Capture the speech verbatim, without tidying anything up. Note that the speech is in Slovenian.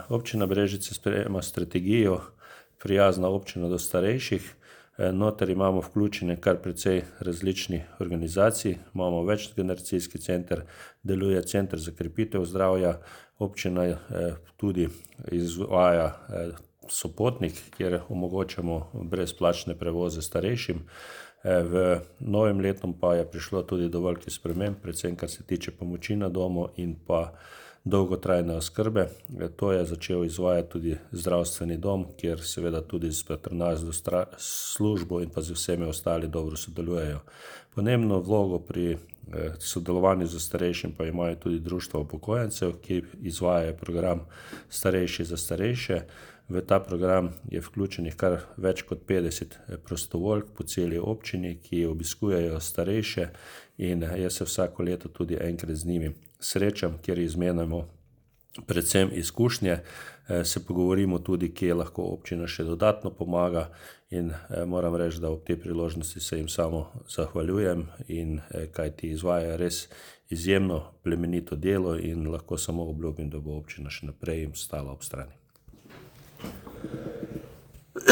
Občina Brežice sprejema strategijo Prijazna občina do starejših. Noter imamo vključene kar precej različnih organizacij. Imamo večgeneracijski center, deluje center za krepitev zdravja. Občina tudi izvaja sopotnik, kjer omogočamo brezplačne prevoze starejšim. V novem letu pa je prišlo tudi do velikih sprememb, predvsem kar se tiče pomoči na domu in pa dolgotrajne oskrbe. To je začel izvajati tudi zdravstveni dom, kjer seveda tudi s patronažno službo in pa z vsemi ostali dobro sodelujejo. Pomembno vlogo pri sodelovanju s starejšim pa imajo tudi društva upokojencev, ki izvajajo program Starejši za starejše. V ta program je vključenih kar več kot petdeset prostovoljk po celi občini, ki obiskujejo starejše, in jaz se vsako leto tudi enkrat z njimi srečam, kjer izmenjamo predvsem izkušnje, se pogovorimo tudi, kje lahko občina še dodatno pomaga, in moram reči, da ob tej priložnosti se jim samo zahvaljujem, in kajti izvajajo res izjemno plemenito delo in lahko samo obljubim, da bo občina še naprej jim stala ob strani.